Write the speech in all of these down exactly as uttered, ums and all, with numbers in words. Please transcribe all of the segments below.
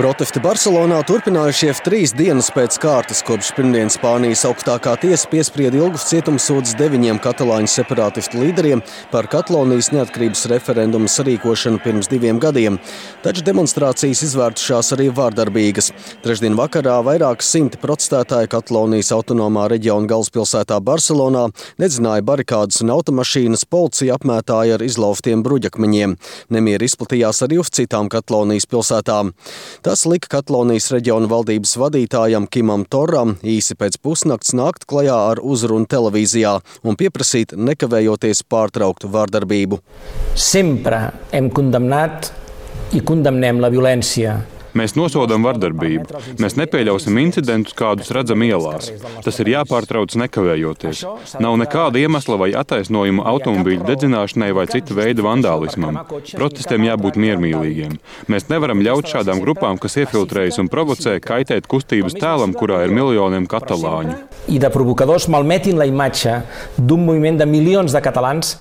Protesti Barselonā turpinājušies trīs dienas pēc kārtas, kopš pirmdien Spānijas augstākā tiesa piesprieda ilgus cietumsodus deviņiem katalāņu separātistu līderiem par Katalonijas neatkarības referendumu sarīkošanu pirms diviem gadiem. Taču demonstrācijas izvērtušās arī vārdarbīgas. Trešdien vakarā vairāk simti protestētāji Katalonijas autonomā reģiona galvaspilsētā Barselonā nedzināja barikādas un automašīnas, policija apmētāja ar izlauftiem bruģakmeņiem. Nemieri izplatījās arī uz citām Katalonijas pilsētām. Tas lika Katalonijas reģiona valdības vadītājam Kimam Torram īsi pēc pusnakts nākt klajā ar uzrunu televīzijā un pieprasīt nekavējoties pārtraukt vārdarbību. Sempre hem condemnat i condemnem la violència. Mēs nosodam vardarbību. Mēs nepieļausim incidentus, kādus redzam ielās. Tas ir jāpārtrauc nekavējoties. Nav nekāda iemesla vai attaisnojuma automobīļu dedzināšanai vai cita veida vandālismam. Protestiem jābūt miermīlīgiem. Mēs nevaram ļaut šādām grupām, kas iefiltrējas un provocē, kaitēt kustības tēlam, kurā ir miljoniem katalāņu. I de provocadors malmetin la imatge d'un moviment de milions de catalans.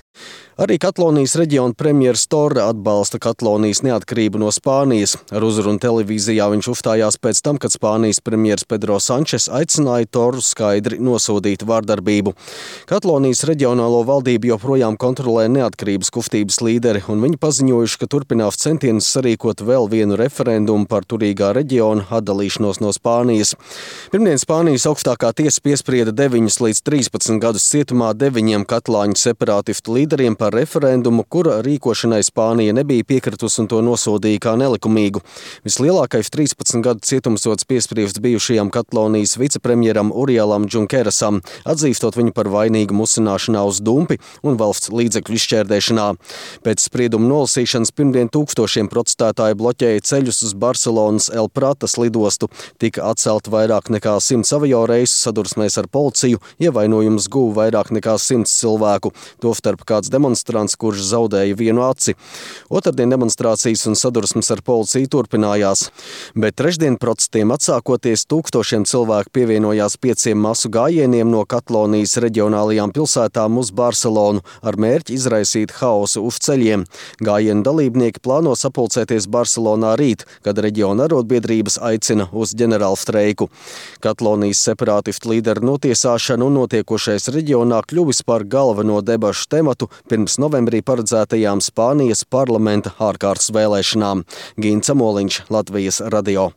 Arī Katalonijas reģiona premjers Torra atbalsta Katalonijas neatkarību no Spānijas. Ar uzrunu televīzijā viņš uzstājās pēc tam, kad Spānijas premjers Pedro Sančes aicināja Torru skaidri nosodīt vārdarbību. Katalonijas reģionālo valdību joprojām kontrolē neatkarības kustības līderi, un viņi paziņojuši, ka turpinās centienus sarīkot vēl vienu referendumu par turīgā reģiona atdalīšanos no Spānijas. Pirmdien Spānijas augstākā tiesa piesprieda deviņus līdz trīspadsmit gadus cietumā deviņiem katalāņu separātistu līderiem par referendumu, kura rīkošanai Spānija nebija piekritusi un to nosodīja kā nelikumīgu. Vislielākais trīspadsmit gadu cietumsods piespriests bijušajam Katalonijas vicepremjeram Urielam Junquerasam, atzīstot viņu par vainīgu musināšanā uz dumpi un valsts līdzekļu izšķērdēšanā. Pēc sprieduma nolasīšanas pirmdien tūkstošiem protestētāji bloķēja ceļus uz Barselonas El Pratas lidostu. Tika atcelt vairāk nekā simts avio reisu sadursmēs ar policiju, ievainojumus guva vairāk nekā simts cilvēku, tostarp kāds demonstrants, kurš zaudēja vienu aci. Otrdien demonstrācijas un sadursmes ar policiju turpinājās, bet trešdien protestiem atsākoties tūkstošiem cilvēku pievienojās pieciem masu gājieniem no Katalonijas reģionālajām pilsētām uz Barselonu ar mērķi izraisīt haosu uz ceļiem. Gājienu dalībnieki plāno sapulcēties Barselonā rīt, kad reģiona arotbiedrības aicina uz ģenerālstreiku. Katalonijas separātistu līderu notiesāšana un notiekošais reģionā kļuvis par galveno debašu tematu pirms novembrī paredzētajām Spānijas parlamenta ārkārtas vēlēšanām. Gints Amoliņš, Latvijas radio.